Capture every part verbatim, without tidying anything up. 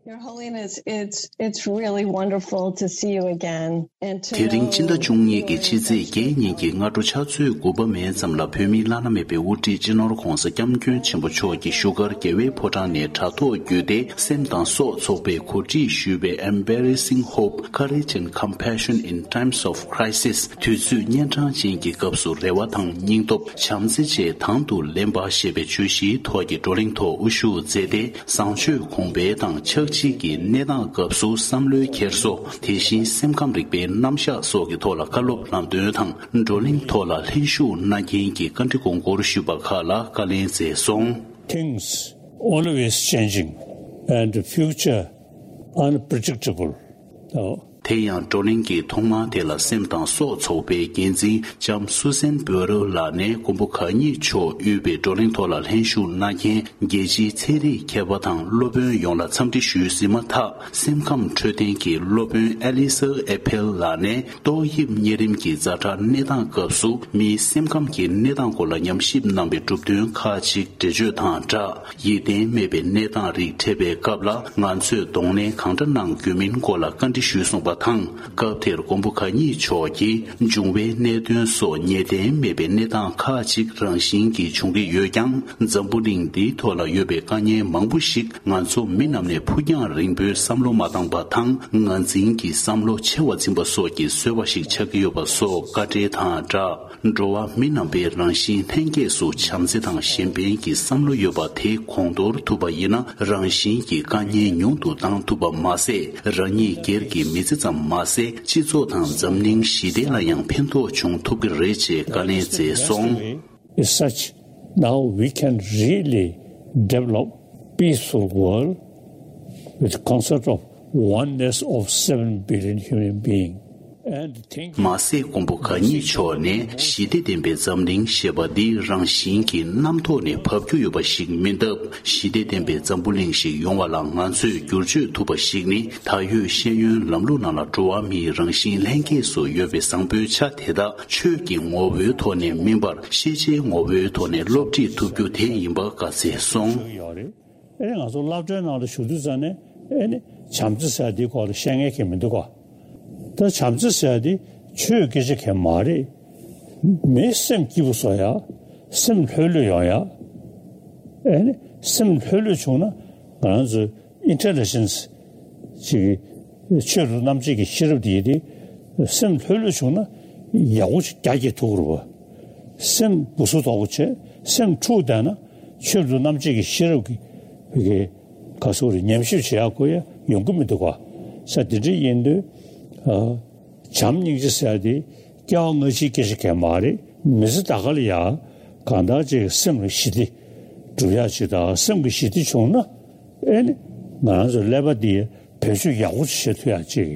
Your Holiness, it's it's really wonderful to see you again and to དེ་རིང་སྤྱི་ཟླ་བཅུ་གཉིས་ཀྱི་ཕྱི་ཚེས་བརྒྱད་ཉིན་གྱི་སྔ་དྲོ་ཕྱག་ཚོད་དགུ་པ་མའི་མཚམས་ལ། བོད་མིའི་བླ་ན་མེད་པའི་དབུ་ཁྲིད་སྤྱི་ནོར་༧གོང་ས་༧སྐྱབས་མགོན་ཆེན་པོ་མཆོག་གིས་བཞུགས་སྒར་རྒྱལ་བའི་ཕོ་བྲང་ནས་དྲ་ཐོག་བརྒྱུད་དེ་སེམས་དང་སྲོག་ཚོགས་པས་གོ་སྒྲིག་ཞུས་པའི་Embracing Hope, Courage and Compassion in Times of Crisis, དུས་ཚོད་གཉན་འཕྲང་ཅན་གྱི་སྐབས་སུ་རེ་བ་དང་སྙིང་སྟོབས། བྱམས་བརྩེ་བཅས་དང་དུ་ལེན་པ་ཞེས་པའི་བརྗོད་གཞིའི་ཐོག་གི་བགྲོ་གླེང་ཐོག་དབུ་བཞུགས་མཛད་དེ། བཟང་སྤྱོད་གོང་འཕེལ་དང་ཆགས་འཇིག་གི་གནས་སྟངས་སྐབས་སུ་བསམ་བློའི་འཁྱེར་སོ། དེ་བཞིན་སེམས་ཁམས་རིག་པའི་རྣམ་གཞག་སོགས་ཀྱི་ཐོག་ལ་བཀའ་སློབ་ལམ་སྟོན་དང་། བགྲོ་གླེང་ཐོག་ལ་ལྷན་ཞུགས་གནང་མཁན་གྱི་བཀའ་འདྲི་དགོངས་སྐོར་ཞུས་པ་ཁག་ལ་བཀའ་ལན་སྩལ་སོང་། Things always changing and future unpredictable. དེ་ཡང་བགྲོ་གླེང་གི་ཐོག་མ་དེ་ལ་སེམས་དང་སྲོག་ཚོགས་པའི་འགན་འཛིན་ལྕམ་སུ་སན་བོ་རོ་ལགས་ནས་མགོན་པོ་གང་ཉིད་མཆོག་དབུས་པའི་བགྲོ་གླེང་ཐོག་ལ་ལྷན་ཞུགས་གནང་མཁན་རྒྱལ་སྤྱིའི་ཚན་རིག་མཁས་པ་དང་སློབ་དཔོན་ཡོངས་ལ་འཚམས་འདྲི་ཞུས་ཟིན་མ་ཐག་སེམས་ཁམས་འཕྲོད་བསྟེན་གྱི་སློབ་དཔོན་ཨེ་ལི་སར་ཨེ་ཕེལ་ལགས་ནས་ཏོག་དབྱིབས་གཉན་རིམས་ཀྱི་ཛ་དྲག་གནས་སྟངས་སྐབས་སུ་མིའི་སེམས་ཁམས་ཀྱི་གནས་སྟངས་སྐོར་ལ་ཉམས་ཞིབ་གནང་བའི་གྲུབ་དོན་ཁག་ཅིག་འགྲེལ་བརྗོད་དང་སྦྲགས། ཡིད་བརྟན་མེད་པའི་གནས་སྟངས་རིགས་འཕྲད་པའི་སྐབས་ལ་ང་ཚོས་གདོང་ལེན་གང་འདྲ་གནང་དགོས་མིན་སྐོར་ལ་བཀའ་འདྲི་ཞུས་གསུངས་པ་དང་། སྐབས་དེར་མགོན་པོ་གང་ཉིད་མཆོག་གིས། འབྱུང་བའི་གནད་དོན་སོགས་ངེས་གཏན་མེད་པའི་གནས་སྟངས་ཁག་ཅིག་རང་བཞིན་གྱིས་འབྱུང་གི་ཡོད་ཀྱང་། འཛམ་བུ་གླིང་འདིའི་ཐོག་ལ་ཡོད་པའི་དཀའ་ངལ་མང་པོ་ཞིག་ང་ཚོ་མི་རྣམས་ནས་ཕུགས་རྒྱང་རིང་པོའི་བསམ་བློ་མ་བཏང་པ་དང་། ངར་འཛིན་གྱི་བསམ་བློ་ཆེ་བ་འཛིན་པ་སོགས་ཀྱི་བཟོས་པ་ཞིག་ཆགས་ཀྱི་ཡོད་པ་སོགས་བཀའ་འགྲེལ་དང་སྦྲགས། འགྲོ་བ་མི་རྣམ་པའི་རང་བཞིན་ལྷན་སྐྱེས་སུ་བྱམས་བརྩེ་དང་གཞན་ཕན་གྱི་བསམ་བློ་ཡོད་པ་དེ་གོང་མཐོར་ཐུབ་པ་ཡིན་ན། རང་བཞིན་གྱི་དཀའ་ངལ་ཉུང་དུ་བཏང་ཐུབ་པ་མ་ཟད། རང་ཉིད་སྒེར་གྱི་མི་ཚེ་ཙམ་མ་ཟད། སྤྱི་ཚོགས་དང་འཛམ་གླིང་ཞི་བདེ་ལ་ཡང་ཕན་ཐོགས་བྱུང་ཐུབ་ཀྱི་རེད་ཅེས་བཀའ་ལན་སྩལ་སོང་། Is such, now we can really develop peaceful world with concept of oneness of seven billion human being. And think མ་ཟད་མགོན་པོ་གང་ཉིད་མཆོག་ནས་ཞི་བདེ་ལྡན་པའི་འཛམ་གླིང་ཞེས་པ་འདི་རང་བཞིན་གྱིས་རྣམ་རྟོག་ནས་བབས་རྒྱུ་ཡོད་པ་ཞིག་མིན་སྟབས། ཞི་བདེ་ལྡན་པའི་འཛམ་བུ་གླིང་ཞིག་ཡོང་བ་ལ་ང་ཚོས་བསྒྱུར་བཅོས་ཐུབ་པ་ཞིག་ནི། ད་ཡོད་ཤེས་ཡོན་ལམ་ལུགས་ནང་ལ་འགྲོ་བ་མིའི་རང་བཞིན་ལྷན་སྐྱེས་སུ་ཡོད་པའི་བཟང་པོའི་ཆ་དེ་དག་ཆོས་ཀྱི་ངོ་བོའི་ཐོག་ནས་མིན་པར། ཤེས་བྱའི་ངོ་བོའི་ཐོག་ནས་སློབ་ཁྲིད་ཐུབ་རྒྱུ་དེ་ཡིན་པ་བཀའ་སྩལ་སོང་། ཡོད་རེད། ཨེ་ནི་ང་ཚོ་སློབ་གྲྭའི་ནང་ལ་ཞུགས་དུས་ཙང་ནས། ཨེ་ནི་བྱམས་བརྩེ་ཟེར་ཡ་འདིའི་སྐོར་ལ་བཤད་མཁན་གང་ཡང་མི་འདུག་ག་ད་བྱམས་བརྩེ་ཟེར་ཡ་འདི་ཆོས་སྐད་ཆ་གང་ཡང་མ་རེད། མིའི་སེམས་སྐྱིད་པོ་བཟོ་ཡ། སེམས་ལྷོད་ལྷོད་ཡོང་ཡ། ཨེ་ནི་སེམས་ལྷོད་ལྷོད་བྱུང་ན་ང་རང་ཚོའི་ཨིན་ཊེ་ལི་ཇེན་སི་ཅིག་ཆོས་རབ་རྣམ་འབྱེད་ཀྱི་ཤེས་རབ་དེ་ཡིན་ཏེ། སེམས་ལྷོད་ལྷོད་བྱུང་ན་ཡག་པོ་ཞིག་རྒྱ་སྐྱེད་ཐུབ་ཀྱི་རེད་པ། སེམས་སྦུ་སུབ་དོག་པོ་བྱས། སེམས་འཁྲུགས་བསྡད་ན་ཆོས་རབ་རྣམ་འབྱེད་ཀྱི་ཤེས་རབ་ཀྱི་ག་ཟེར་དགོས་རེད། ཉམས་ཞིབ་བྱེད་ཡག་ཁོ་ཡ་ཡོང་གི་མི་འདུག་ག་ས་དེ་འདྲ་ཡིན་དུས། ཨ། བྱམས་སྙིང་རྗེ་ཟེར་ཡ་དེ་སྐྱེ་བ་སྔ་ཕྱིའི་སྐད་ཆ་གང་ཡང་མ་རེད། མི་ཚེ་ད་ག་ལ་ཡ་གང་ལྟར་ཅིག་སེམས་ལ་ཞི་བདེ་སྒྲུབ་ཡག་ཅིག་དང་། སེམས་ཀྱི་ཞི་བདེ་བྱུང་ན། ཨེ་ནི་ང་རང་ཚོའི་ཀླད་པ་འདི་བེད་སྤྱོད་ཡག་པོ་ཞིག་བྱེད་ཐུབ་ཡག་ཅིག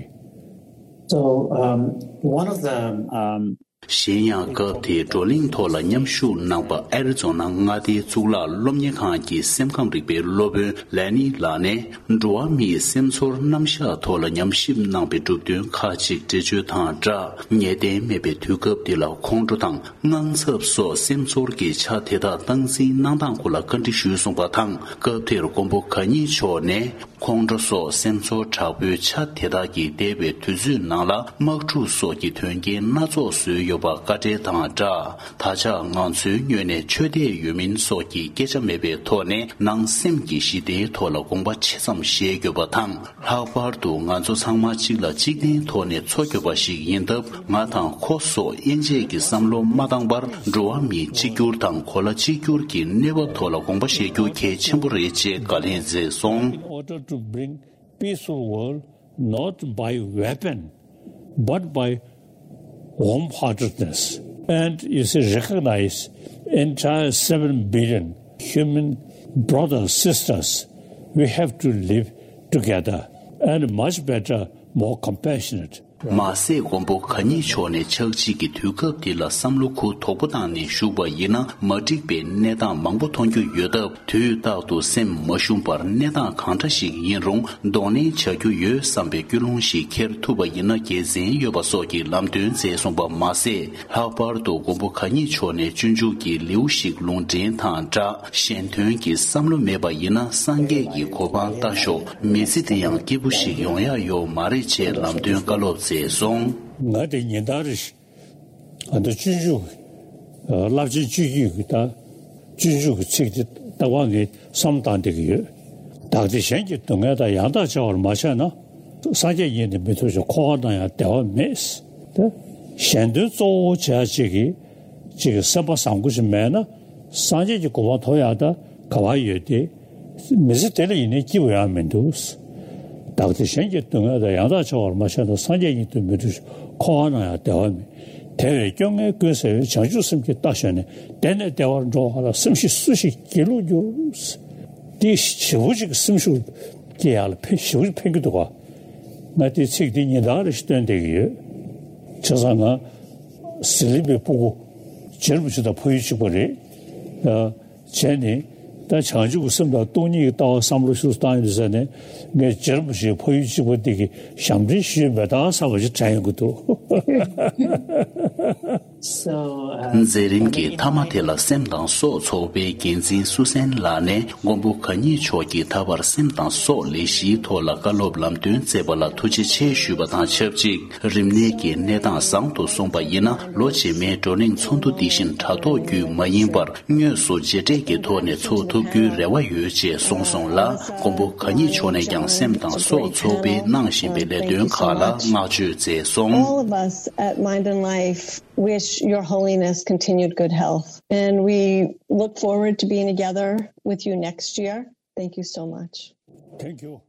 So, um, one of the, um, གཞན་ཡང་སྐབས་དེའི་བགྲོ་གླེང་ཐོག་ལ་མཉམ་ཞུགས་གནང་པ་ཨེ་རི་ཛོ་ན་མངའ་སྡེའི་གཙུག་ལག་སློབ་གཉེར་ཁང་གི་སེམས་ཁམས་རིག་པའི་སློབ་དཔོན་ལེ་ནི་ལགས་ནས། འགྲོ་བ་མིའི་སེམས་ཚོར་རྣམ་གཞག་ཐོག་ལ་ཉམས་ཞིབ་གནང་པའི་གྲུབ་དོན་ཁག་ཅིག་འགྲེལ་བརྗོད་དང་སྦྲགས། ངེས་གཏན་མེད་པའི་དུས་སྐབས་འདི་ལ་ཁོང་ཁྲོ་དང་དངངས་འཚབ་སོགས་སེམས་ཚོར་གྱི་ཆ་དེ་དག་སྟངས་འཛིན་གནང་སྟངས་སྐོར་ལ་བཀའ་འདྲི་ཞུས་གསུངས་པ་དང་། སྐབས་དེར་མགོན་པོ་གང་ཉིད་མཆོག་ནས། ཁོང་ཁྲོ་སོགས་སེམས་ཚོར་དྲག་པོའི་ཆ་དེ་དག་གིས་འདས་པའི་དུས་ཚོད་ནང་ལ་དམག་འཁྲུག་སོགས་ཀྱི་དོན་རྐྱེན་སྣ་ཚོགས་བཟོས་ཡོད་པ་བཀའ་འགྲེལ་དང་སྦྲགས། ད་ཆ་ང་ཚོའི་ངོས་ནས་ཆོས་དད་ཡོད་མིན་སོགས་ཀྱི་སྐད་ཆ་མེད་པའི་ཐོག་ནས། ནང་སེམས་ཀྱི་ཞི་བདེའི་ཐོག་ལ་དགོངས་པ་ཆེ་ཙམ་བཞེས་དགོས་པ་དང་། ལྷག་པར་དུ་ང་ཚོ་ཚང་མ་གཅིག་ལ་གཅིག་བརྟེན་ཐོག་ནས་འཚོ་དགོས་པ་ཞིག་ཡིན་སྟབས། ང་དང་ཁོ་སོགས་དབྱེ་འབྱེད་ཀྱི་བསམ་བློ་མ་བཏང་བར། འགྲོ་བ་མིའི་གཅིག་གྱུར་དང་གོ་ལ་གཅིག་གྱུར་གྱི་གནས་བབ་ཐོག་ལ་དགོངས་པ་བཞེས་རྒྱུ་གལ་ཆེན་པོ་རེད་ཅེས་བཀའ་ལན་མཛད་སོང་། In order to bring peaceful world, not by weapon, but by warm-heartedness. And you see, recognize entire seven billion human brothers, sisters. We have to live together and much better, more compassionate. མ་ཟད་མགོན་པོ་གང་ཉིད་མཆོག་ནས་ཕྱག་ཕྱིད་ཀྱི་དུས་སྐབས་འདི་ལ་བསམ་བློ་ཁུ་དོག་པོ་བཏང་ནས་བཞུགས་པ་ཡིན་ན་མ་འགྲིག་པའི་གནས་སྟངས་མང་པོ་མཐོང་རྒྱུ་ཡོད་སྟབས། དུས་རྟག་ཏུ་སེམས་མ་ཞུམ་པར་གནས་སྟངས་གང་འདྲ་ཞིག་ཡིན་རུང་གདོང་ལེན་བྱ་རྒྱུ་ཡོད་བསམ་པའི་ཀུན་སློང་ཞིག་འཁྱེར་ཐུབ་པ་ཡིན་ན་དགེ་མཚན་ཡོད་པ་སོགས་ཀྱི་ལམ་སྟོན་མཛད་སོང་པ་མ་ཟད། ལྷག་པར་དུ་མགོན་པོ་གང་ཉིད་མཆོག་ནས་སྤྱོད་འཇུག་གི་ལེའུ་ཞིག་ལུང་འདྲེན་དང་སྦྲགས། གཞན་དོན་གྱི་བསམ་བློ་མེད་པ་ཡིན་ན་སངས་རྒྱས་ཀྱི་གོ་འཕང་ལྟ་ཞོག་མི་ཚེ་འདི་ཡང་སྐྱིད་པོ་ཞིག་ཡོང་ཡག་ཡོད་མ་རེད་ཅེས་ལམ་སྟོན་བཀའ་སློབ་མཛད་སོང་། ང་དེ་ཉིན་ལྟར་རེ་ཞིག་ཨ་ད་སྤྱོད་འཇུག་རླབས་ཆེན་སྤྱོད་འཇུག་གི་ད་སྤྱོད་འཇུག་གི་ཚིག་དེ་ལྟ་བ་ངས་བསམ་བཏང་བསྡད་ཀྱི་ཡོད། བདག་བདེ་གཞན་གྱི་སྡུག་བསྔལ་དང་། ཡང་དག་བྱ་བར་མ་ཆགས་ན། སངས་རྒྱས་ཉིད་དུ་མི་ཐུབ་ཅིང་། འཁོར་བ་ན་ཡང་བདེ་བ་མེད། ད་གཞན་དོན་གཙོ་བོ་བྱ་བྱེད་ཀྱི་ཅིག་གི་སེམས་པ་བཟང་པོ་ཞིག་མེད་ན་སངས་རྒྱས་ཀྱི་གོ་འཕང་ཐོབ་ཡག་ད་ག་བ་ཡོད་དེ། མི་ཚེ་དེ་ལ་ཡིན་ནའི་སྐྱིད་པོ་ཡང་མི་འདུག་བདག་བདེ་གཞན་གྱི་སྡུག་བསྔལ་དང་། ཡང་དག་བྱ་བར་མ་ཆགས་ན། སངས་རྒྱས་ཉིད་དུ་མི་འགྲུབ་ཤོག་འཁོར་བ་ན་ཡང་བདེ་བ་མེད། དེ་བས་སྐྱོ་ངལ་ཀུན་སེལ་བའི། བྱང་ཆུབ་སེམས་ཀྱིས་ལྟ་ཞོག་ནས། དེ་ནས་བདེ་བར་འགྲོ་བ་ལ། སེམས་ཤིག་སུ་ཞིག་སྒྱིད་ལུག་འགྱུར། འདི་ཞེ་པོ་ཅིག་སེམས་ཤུགས་སྐྱེ་ཡག་ལ་ཕན་ཞེ་པོ་ཅིག་ཕན་གྱི་འདུག་ག་ང་དེ་ཚིག་འདི་ཉིན་ལྟར་རེ་ཞིག་བཏོན་བསྡད་ཀྱི་ཡོད། བྱས་ཙང་ང་ཟི་ལིང་པའི་སྤུ་གུ་རྗེ་རིན་པོ་ཆེ་དང་ཕ་ཡུལ་གཅིག་པ་རེད། ཨ། བྱས་ནས་ད་བྱང་ཆུབ་ཀྱི་སེམས་དང་སྟོང་ཉིད་ཀྱི་ལྟ་བ་བསམ་བློ་ཤུགས་བཏང་ཡོད་ཟེར་ནས་ངས་རྗེ་རིན་པོ་ཆེའི་ཕ་ཡུལ་གཅིག་པ་འདི་གི་ཞབས་འདྲེན་ཞུས་མེད་ད་བསམ་པ་ཞིག་དྲན་ཡོང་གི་འདུག So, uh, མཛད་རིམ་གྱི་མཐའ་མ་དེ་ལ་སེམས་དང་སྲོག་ཚོགས་པའི་འགན་འཛིན་བསོད་བསྲན་ལགས་ནས་མགོན་པོ་གང་ཉིད་མཆོག་གིས་ད་བར་སེམས་དང་སྲོག་ལས་གཞིའི་ཐོག་ལ་བཀའ་སློབ་ལམ་སྟོན་མཛད་པ་ལ་ཐུགས་རྗེ་ཆེ་ཞུས་པ་དང་ཆབས་ཅིག་རིམས་ནད་ཀྱི་གནས་སྟངས་བཟང་དུ་སོང་པ་ཡིན་ན་ལོ་རྗེས་མའི་བགྲོ་གླེང་ཚོགས་འདུ་འདི་བཞིན་དྲ་ཐོག་བརྒྱུད་མ་ཡིན་པར་དངོས་སུ་མཇལ་འཕྲད་ཀྱི་ཐོག་ནས་ཚོགས་ཐུབ་རྒྱུའི་རེ་བ་ཡོད་ཅེས་གསུངས་སོང་ལ། མགོན་པོ་གང་ཉིད་མཆོག་ནས་ཀྱང་སེམས་དང་སྲོག་ཚོགས་པའི་གནང་བཞིན་པའི་ལས་དོན་ཁག་ལ་བསྔགས་བརྗོད་མཛད་སོང་། All of us at Mind and Life wish Your Holiness continued good health, and we look forward to being together with you next year. Thank you so much. Thank you.